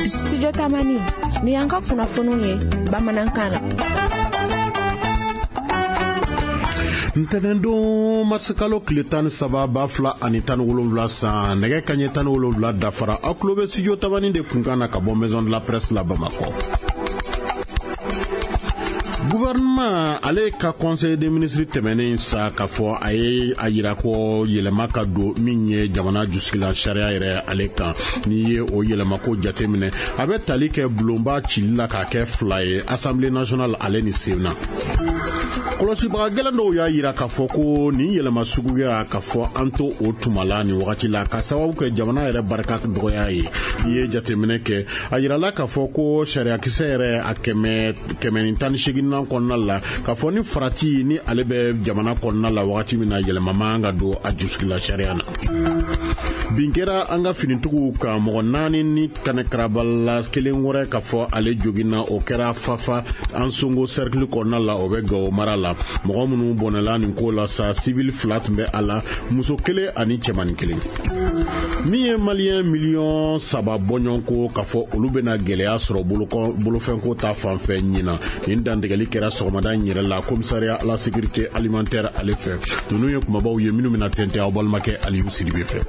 Studio Tamani ni y'an ka kunnafoniw ye bamanankan na. Ntɛnɛndon marisikalo tile 13 2017 san, nɛgɛ kaɲɛ 17 dafara, aw tulo bɛ Studio Tamani de kunkan na ka bɔ Maison de la Presse la Bamakɔ. Gouvernement ale ka conseil des ministres tɛmɛnen sa, k'a fɔ a ye a yira ko yɛlɛma ka don min ye jamana jusigilan sariya yɛrɛ ale kan. N'i ye o yɛlɛmako jateminɛ, a bɛ tali kɛ bulonba cili la k'a kɛ fila ye, Assemblée nationale ale ni Sénat. Kɔlɔsibaga gɛlɛn dɔw y'a yira k'a fɔ ko nin yɛlɛma suguya, k'a fɔ an to o tuma la nin wagati la, ka sababu kɛ jamana yɛrɛ barika dɔgɔya ye. N'i ye jateminɛ kɛ, a yirala k'a fɔ ko sariyakisɛ yɛrɛ a 118nan kɔnɔna la, k'a fɔ ni farati ni ale bɛ jamana kɔnɔna la wagati min na, yɛlɛma man ka don a jusigila sariya na. Bin kɛra an ka finitigiw kan, mɔgɔ naani ni kanɛ karabala, kelen wɛrɛ k'a fɔ ale joginna. O kɛra Fafa Ansongo cercle kɔnɔna la, o bɛ Gawo mara la. Mɔgɔ minnu bɔnɛla nin ko la sa, civil fila tun bɛ a la, muso kelen ani cɛmannin kelen. Min ye Maliyɛn miliyɔn 3 bɔɲɔgɔnko, k'a fɔ olu bɛna gɛlɛya sɔrɔ bolofɛnko ta fan fɛ ɲinan. Nin dantigɛli kɛra sɔgɔmada in yɛrɛ la commissariat à la sécurité alimentaire ale fɛ. Ninnu ye kumabaw ye minnu bɛna tɛntɛn aw balimakɛ Aliyu Sidibe fɛ.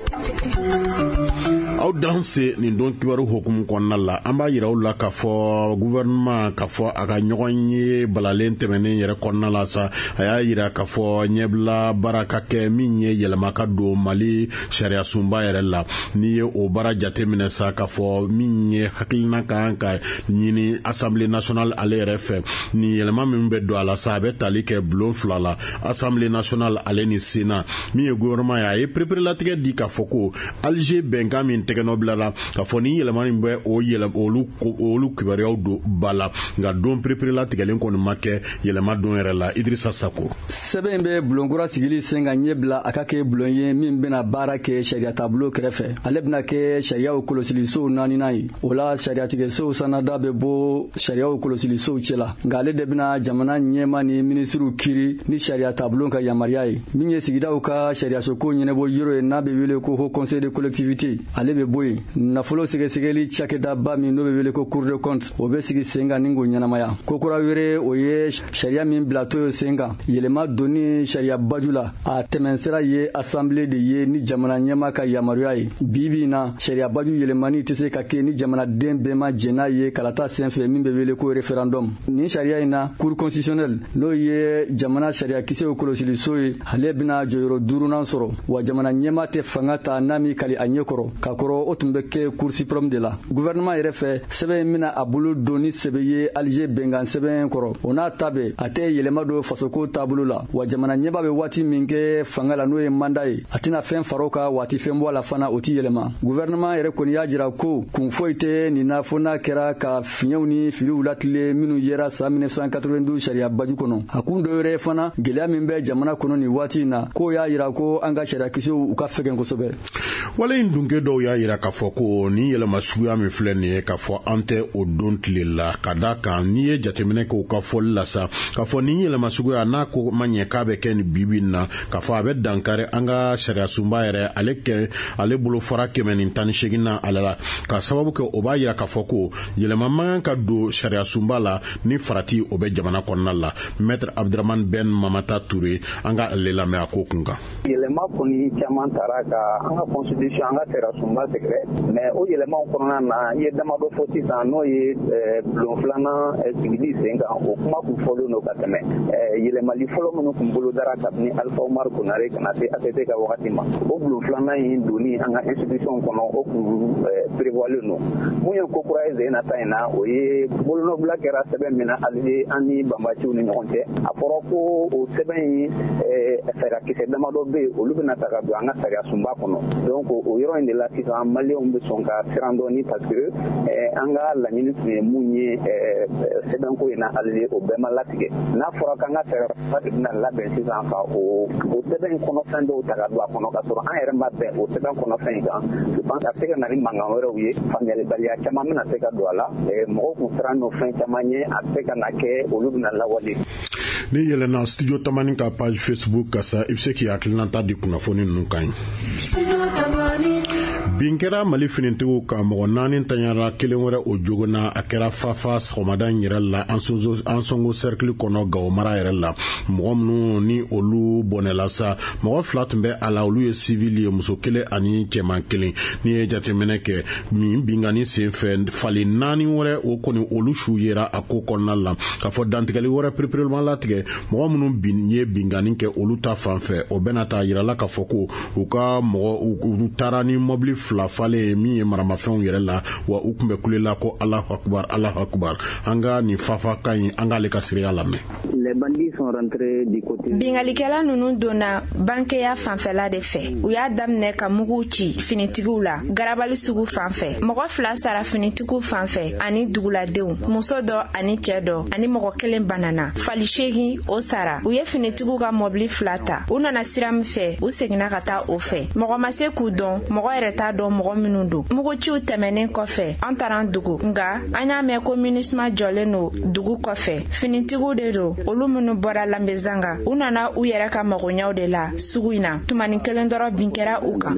Aw danse nin don kibaru hukumu kɔnɔna la, an b'a yira aw la k'a fɔ gouvernement, k'a fɔ a ka ɲɔgɔn ye balalen tɛmɛnen yɛrɛ kɔnɔna la sa, a y'a yira k'a fɔ ɲɛbila baara ka kɛ min ye yɛlɛma ka don Mali sariya sunba yɛrɛ la. N'i ye o baara jateminɛ sa, k'a fɔ min ye hakilina ka kan ka ɲini Assemblée nationale ale yɛrɛ fɛ, nin yɛlɛma min bɛ don a la sa, a bɛ tali kɛ bulon fila la, Assemblée nationale ale ni Sénat. Min ye gouvernement ye, a ye pereperelatigɛ di k'a fɔ ko Alger bɛnkan min tɛgɛnɔ bilala, k'a fɔ ni yɛlɛma in bɛ o yɛlɛ olu kibaruyaw don ba la, nka don pereperelatigɛlen kɔni ma kɛ yɛlɛma don yɛrɛ la. Idrissa Sako. Sɛbɛn in bɛ bulonkura sigili sen ka ɲɛ bila a ka kɛ bulon ye min bɛna baara kɛ sariya taabolo kɛrɛfɛ. Ale bɛna kɛ sariyaw kɔlɔsilisow naaninan ye. O la, sariyatigɛsow sanada bɛ bɔ sariyaw kɔlɔsilisow cɛla, nka ale de bɛna jamana ɲɛma ni minisiriw kiri ni sariya taabolo ka yamaruya ye. Min ye sigidaw ka sariyasoko ɲɛnabɔ yɔrɔ ye, n'a bɛ wele ko Haut Conseil de collectivité, ale bɛ bɔ yen. Nafolo sɛgɛsɛgɛli cakɛdaba min n'o bɛ wele ko Cour des comptes, o bɛ sigi sen kan ni k'o ɲɛnamaya. Ko kura wɛrɛ, o ye sariya min bilatɔ ye sen kan, yɛlɛma donni sariya baju la, a tɛmɛnsira ye assemblée de ye ni jamana ɲɛma ka yamaruya ye. Bi bi in na, sariya baju yɛlɛmani tɛ se ka kɛ ni jamanaden bɛɛ ma jɛn n'a ye kalata senfɛ, min bɛ wele ko référendum. Nin sariya in na, Cour constitutionnelle, n'o ye jamana sariyakisɛw kɔlɔsiliso ye, ale bɛna jɔyɔrɔ duurunan sɔrɔ. Wa jamana ɲɛma tɛ fanga ta n'a m'i kali a ɲɛkɔrɔ. Ka kɔrɔ, o tun bɛ kɛ Cour suprême de la. Gouvernement yɛrɛ fɛ, sɛbɛn in bɛna a bolo don ni sɛbɛ ye Alger bɛnkan sɛbɛn kɔrɔ. O n'a ta bɛɛ, a tɛ yɛlɛma don fasoko taabolo la. Wa jamana ɲɛba bɛ waati min kɛ fanga la, n'o ye mandat ye, a tɛna fɛn far'o kan, waati fɛn bɔ a la fana, o tɛ yɛlɛma. Gouvernement yɛrɛ kɔni y'a jira ko kun foyi tɛ nin na fo n'a kɛra ka fiɲɛw ni filiw latile minnu yera san 1992 sariya baju kɔnɔ. A kun dɔ wɛrɛ fana, gɛlɛya min bɛ jamana kɔnɔ nin waati in na, k'o y'a jira ko an ka sariyakisɛw u ka fɛgɛn kosɛbɛ. Wale in dunke dɔw y'a yira k'a fɔ ko nin yɛlɛma suguya min filɛ nin ye, k'a fɔ an tɛ o don tile la, ka da kan n'i ye jateminɛ kɛ u ka fɔli la sa, k'a fɔ nin yɛlɛma suguya n'a ko ma ɲɛ k'a bɛ kɛ nin bibi in na, k'a fɔ a bɛ dankari an ka sariya sunba yɛrɛ ale kɛ ale bolo fara 118 na ale la, ka sababu kɛ o b'a yira k'a fɔ ko yɛlɛma man kan ka don sariya sunba la ni farati o bɛ jamana kɔnɔna la. Maître Abdramane Ben Mamata Touré, an ka ale lamɛn a ko kun kan. Yɛlɛma kɔni caman taara ka an ka constitution, an ka sariya sunba sɛgɛrɛ, mais o yɛlɛmaw kɔnɔna na, i ye damadɔ fɔ sisan, n'o ye bulon filanan sigili sen kan. O kuma kun fɔlen don ka tɛmɛ. Yɛlɛmali fɔlɔ minnu kun bolodara kabini Alpha Oumar Konaré ka na se ATT ka wagati ma, o bulon filanan in donni an ka institution kɔnɔ, o kun prévoilen don. Mun ye ko kura ye sen na ta in na, o ye bolonɔbila kɛra sɛbɛn min na Alger an ni banbaciw ni ɲɔgɔn cɛ. A fɔra ko o sɛbɛn in sariyakisɛ damadɔ bɛ yen, olu bɛna ta ka don an ka sariya sunba kɔnɔ. Donc o yɔrɔ in de la sisan, Maliyɛnw bɛ sɔn ka siran dɔɔni, parce que an ka laɲini tun ye mun ye sɛbɛnko in na Alger, o bɛɛ ma latigɛ. N'a fɔra k'an ka sariya de bɛna labɛn sisan ka o sɛbɛn in kɔnɔfɛn dɔw ta ka don a kɔnɔ, ka sɔrɔ an yɛrɛ ma bɛn o sɛbɛn kɔnɔfɛn in kan, je pense a bɛ se ka na ni mankan wɛrɛw ye, faamuyalibaliya caman bɛna se ka don a la. Mɔgɔw kun siran don fɛn caman ye, a bɛ se ka na kɛ olu bɛna lawale. Ni yɛlɛnna Studio Tamani ka page Facebook ka sa, i bɛ se k'i hakilinata di kunnafoni ninnu kan ye. Bin kɛra Mali finitigiw kan, mɔgɔ 4 tanyara, kelen wɛrɛ o jogona. A kɛra Fafa sɔgɔmada in yɛrɛ la, Ansongo cercle kɔnɔ, Gawo mara yɛrɛ la. Mɔgɔ minnu ni olu bɔnɛla sa, mɔgɔ 2 tun bɛ a la, olu ye civil ye, muso 1 ani cɛman 1. N'i ye jateminɛ kɛ min binkanni senfɛ, fali 4 wɛrɛ o kɔni olu su yera a ko kɔnɔna la. K'a fɔ dantigɛli wɛrɛ pereperelema latigɛ mɔgɔ minnu ye binkanni kɛ olu ta fan fɛ, o bɛna taa yirala k'a fɔ ko u ka mɔgɔ u taara ni mɔbili 2 falen min ye maramafɛnw yɛrɛ la, wa u tun bɛ kule la ko Alahu akubar, Alahu akubar. An ka nin Fafa ka ɲi, an k'ale ka seereya lamɛn. Binkannikɛla ninnu donna bankeya fanfɛla de fɛ. U y'a daminɛ ka muguw ci finitigiw la Garabali sugu fan fɛ. Mɔgɔ 2 sara finitigiw fan fɛ ani duguladenw, muso dɔ ani cɛ dɔ, ani mɔgɔ 1 banana. Fali 8 o sara. U ye finitigiw ka mɔbili 2 ta. U nana sira min fɛ, u seginna ka taa o fɛ. Mɔgɔ ma se k'u dɔn, mɔgɔ yɛrɛ t'a dɔn mɔgɔ minnu don. Muguciw tɛmɛnen kɔfɛ, an taara an dugu. Nka an y'a mɛn ko MINUSMA jɔlen don dugu kɔfɛ. Finitigiw de don, olu minnu bɔra Lanbezanga. U nana u yɛrɛ ka magoɲaw de la sugu in na. Tumani kelen dɔrɔn bin kɛra u kan.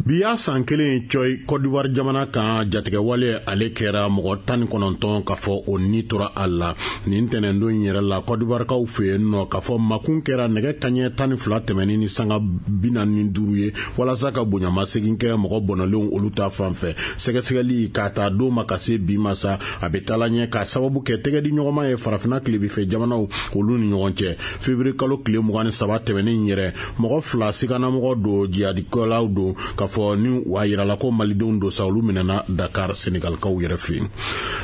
Bi y'a san 1 cɔyi Côte d'Ivoire jamana kan, jatigɛwale ale kɛra, mɔgɔ 19 k'a fɔ o ni tora a la nin tɛnɛndon in yɛrɛ la Côte d'Ivoirekaw fɛ yen nɔ. K'a fɔ makun kɛra nɛgɛ kaɲɛ 12 tɛmɛnen ni sanga 45 ye walasa ka bonyamasegin kɛ mɔgɔ bɔnɛlenw olu ta fan fɛ. Sɛgɛsɛgɛli k'a ta don ma ka se bi ma sa, a bɛ taala ɲɛ k'a sababu kɛ tɛgɛdi ɲɔgɔnma ye farafinna tilebinfɛ jamanaw olu ni ɲɔgɔn cɛ. Février kalo tile 23 tɛmɛnen yɛrɛ, mɔgɔ 2 siganamɔgɔ don, jihadikɛlaw don, k'a fɔ ni a yirala ko malidenw don sa, olu minɛna Dakar Senegalikaw yɛrɛ fɛ yen.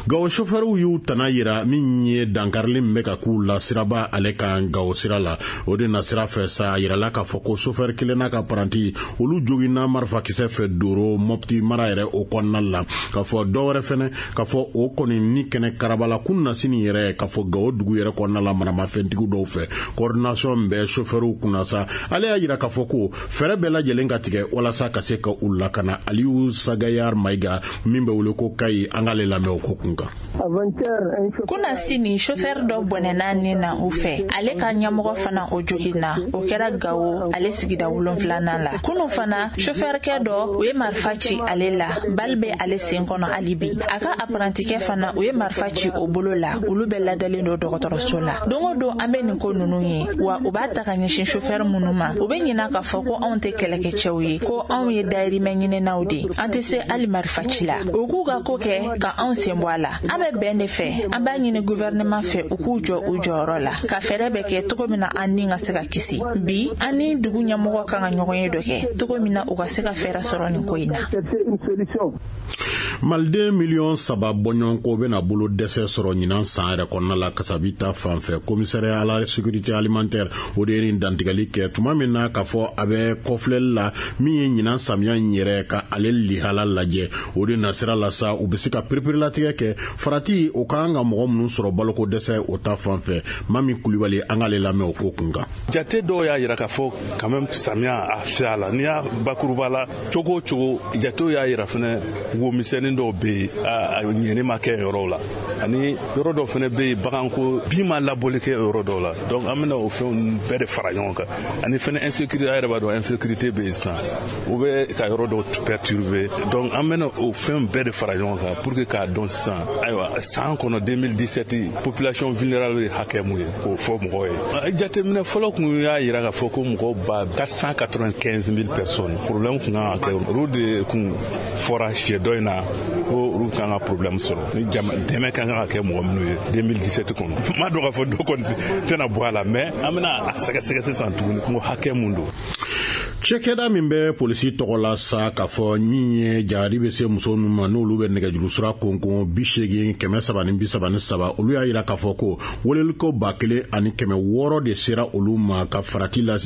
Gawo sofɛriw y'u tana yira min ye dankarili min bɛ ka k'u la siraba ale kan Gawo sira la. O de na sira fɛ sa, a yirala k'a fɔ ko sofɛri kelen n'a ka paranti olu joginna marifakisɛ fɛ Doro Mopti mara yɛrɛ o kɔnɔna la. K'a fɔ dɔ wɛrɛ fɛnɛ, k'a fɔ o kɔni ni kɛnɛ karabala kun na sini yɛrɛ, k'a fɔ Gawo dugu yɛrɛ kɔnɔna la maramafɛntigiw dɔw fɛ. Coordination bɛ sofɛriw kunna sa, ale y'a yira k'a fɔ ko fɛɛrɛ bɛɛ lajɛlen ka tigɛ walasa ka se ka u lakana. Aliyu Sagayar Mayiga min bɛ wele ko Kayi, an k'ale lamɛn o ko kun kan. Kunna sini sofɛri dɔ bɔnɛna ni na u fɛ, ale ka ɲɛmɔgɔ fana o joginna, o kɛra Gawo ale sigida 7nan la. Kunu fana sofɛrikɛ dɔ u ye marifa ci ale la, bali bɛ ale sen kɔnɔ hali bi. A ka apparentikɛ fana u ye marifa ci o bolo la, olu bɛɛ ladalen don dɔgɔtɔrɔso la. Don o don an bɛ nin ko ninnu ye, wa u b'a ta ka ɲɛsin sofɛri minnu ma, u bɛ ɲina k'a fɔ ko anw tɛ kɛlɛkɛcɛw ye, ko anw ye dayirimɛ ɲininaw de, an tɛ se hali marifa ci la. U k'u ka ko kɛ ka anw sen bɔ a la. An bɛ bɛn de fɛ, an b'a ɲini gouvernement fɛ u k'u jɔ u jɔyɔrɔ la, ka fɛɛrɛ bɛɛ kɛ cogo min na an ni ka se ka kisi. Bi an ni dugu ɲɛmɔgɔ kan ka ɲɔgɔn ye dɔ kɛ cogo min na u ka se ka fɛɛrɛ sɔrɔ nin ko in na. Maliden 3 miliyɔn bɔɲɔgɔnko bɛna bolo dɛsɛ sɔrɔ ɲinan san yɛrɛ kɔnɔna la kasabi ta fan fɛ. Commissariat à la sécurité alimentaire o de ye nin dantigɛli kɛ tuma min na k'a fɔ a bɛ kɔfilɛli la min ye ɲinan samiya in yɛrɛ ka ale lihala lajɛ. O de nasira la sa, u bɛ se ka pereperelatigɛ kɛ farati o ka kan ka mɔgɔ minnu sɔrɔ baloko dɛsɛ o ta fan fɛ. Mami Kulibali, an k'ale lamɛn o ko kun kan. Jate dɔw y'a yira k'a fɔ quand même samiya a fiyɛ la. N'i y'a bakuruba la cogo o cogo, jatew y'a yira fɛnɛ womisɛnnin dɔw bɛ yen, a ɲɛni ma kɛ yɔrɔw la, ani yɔrɔ dɔw fɛnɛ bɛ yen, baganko bin ma labɔli kɛ yɔrɔ dɔw la. Donc an bɛna o fɛnw bɛɛ de fara ɲɔgɔn kan, ani fɛnɛ insécurité, a yɛrɛ b'a dɔn insécurité bɛ yen sisan, u bɛ ka yɔrɔ dɔw perturber. Donc an bɛna o fɛn bɛɛ de fara ɲɔgɔn kan pour que k'a dɔn sisan, ayiwa, san kɔnɔ 2017 population vulnérable ye hakɛ mun ye, k'o fɔ mɔgɔw ye. Jateminɛ fɔlɔ kun y'a yira k'a fɔ ko mɔgɔw ba 495 000 personnes problème kun kan ka kɛ, olu de kun fɔra siɲɛ dɔ in na ko olu kan ka problème sɔrɔ ni jama dɛmɛ kan ka kɛ mɔgɔ minnu ye 2017 kɔnɔ. N m'a dɔn k'a fɔ dɔ kɔni tɛna bɔ a la, mais an bɛna a sɛgɛsɛgɛ sisan tuguni ko hakɛ mun don. Cɛkɛda min bɛ polisi tɔgɔ la sa, k'a fɔ min ye jahadi bɛ se muso ninnu ma, n'olu bɛ nɛgɛjuru sira konkon 80 333, olu y'a yira k'a fɔ ko weleliko 1600 de sera olu ma ka farati la,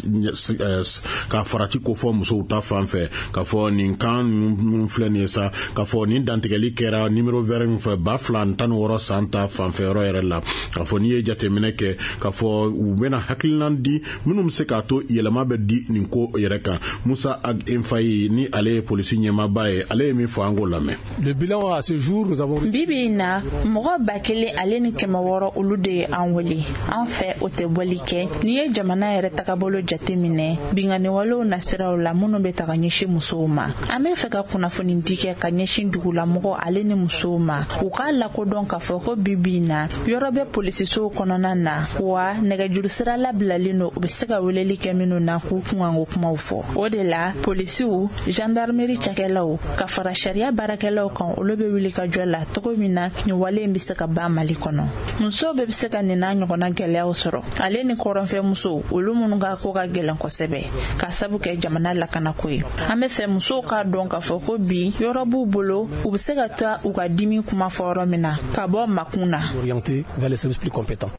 ka farati kofɔ musow ta fan fɛ. K'a fɔ nin kan minnu filɛ nin ye sa, k'a fɔ nin dantigɛli kɛra numéro vert min fɛ 2016 san ta fanfɛ yɔrɔ yɛrɛ la. K'a fɔ n'i ye jateminɛ kɛ, k'a fɔ u bɛna hakilina di minnu bɛ se k'a to yɛlɛma bɛ di nin ko yɛrɛ. yɛrɛ kan. Musa Ag Infayi ni ale ye polisi ɲɛmaaba ye, ale ye min fɔ, an k'o lamɛn. Le bilan à ce jour, nous avons Bi bi in na, mɔgɔ 1600 olu de ye an wele an fɛ. O tɛ bɔli kɛ n'i ye jamana yɛrɛ tagabolo jate minɛ, binkanniwalew nasiraw la minnu bɛ taga ɲɛsin musow ma. An bɛ fɛ ka kunnafoni di kɛ ka ɲɛsin dugulamɔgɔ ale ni musow ma, u k'a lakodɔn k'a fɔ ko bi bi in na, yɔrɔ bɛ polisisow kɔnɔna na wa nɛgɛjuru sira labilalen don, u bɛ se ka weleli kɛ minnu na k'u kunkanko kumaw fɔ. O de la, polisiw, gendarmerie cakɛlaw ka fara sariya baarakɛlaw kan, olu bɛ wuli ka jɔ la cogo min na nin wale in bɛ se ka ban Mali kɔnɔ. Musow bɛɛ bɛ se ka nin n'a ɲɔgɔnna gɛlɛyaw sɔrɔ, ale ni kɔrɔnfɛ musow, olu minnu ka ko ka gɛlɛn kosɛbɛ ka sabu kɛ jamana lakanako ye. An bɛ fɛ musow k'a dɔn k'a fɔ ko bi, yɔrɔ b'u bolo, u bɛ se ka taa u ka dimi kuma fɔ yɔrɔ min na ka bɔ makun na. Orienté vers les services plus compétents.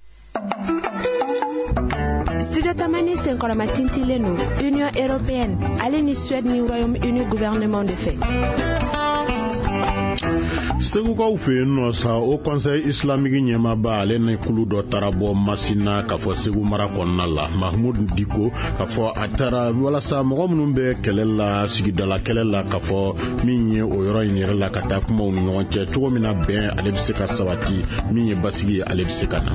Studio Tamani senkɔrɔma tintilen don Union européenne ale ni Suède ni Royaume-Uni gouvernement de fɛ. Segukaw fɛ yen nɔ sa, Haut Conseil islamique ɲɛmaaba, ale ni kulu dɔ taara bɔ Masina k'a fɔ Segu mara kɔnɔna la, Mahmud Diko, k'a fɔ a taara walasa mɔgɔ minnu bɛ kɛlɛ la, sigidala kɛlɛ la, k'a fɔ min ye o yɔrɔ in yɛrɛ la, ka taa kumaw ni ɲɔgɔn cɛ cogo min na bɛn ale bɛ se ka sabati, min ye basigi ye, ale bɛ se ka na.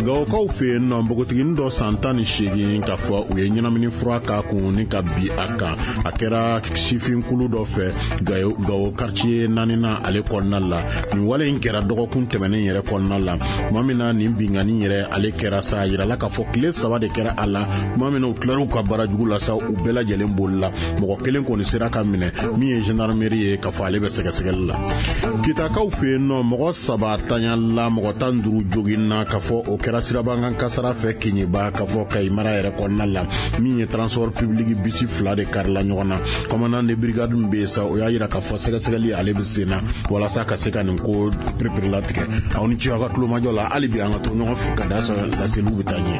Gawokaw fɛ yen nɔ, npogotiginin dɔ san 18, k'a fɔ u ye ɲɛnamini fura k'a kun ni ka bi a kan. A kɛra sifinkulu dɔ fɛ Gawo quartier naaninan ale kɔnɔna la. Nin wale in kɛra dɔgɔkun tɛmɛnen yɛrɛ kɔnɔna la. Tuma min na nin binkanni yɛrɛ ale kɛra sa, a yirala k'a fɔ tile 3 de kɛra a la. Tuma min na u tilar'u ka baara jugu la sa, u bɛɛ lajɛlen bolila. Mɔgɔ kelen kɔni sera ka minɛ, min ye gendarmerie ye, k'a fɔ ale bɛ sɛgɛsɛgɛli la. Kitakaw fɛ yen nɔ, mɔgɔ 3 tanyala, mɔgɔ 15 joginna, k'a fɔ o kɛra sirabakan kasara fɛ Keɲeba, k'a fɔ Kayi mara yɛrɛ kɔnɔna la. Min ye transport public bisi fila de karila ɲɔgɔn na. Commandant de brigade min bɛ yen sa, o y'a yira k'a fɔ sɛgɛsɛgɛli ale bɛ sen na walasa ka se ka nin ko pereperelatigɛ. Aw ni ce aw ka tulomajɔ la. Hali bi an ka to ɲɔgɔn fɛ ka da laseliw bɛ taa ɲɛ.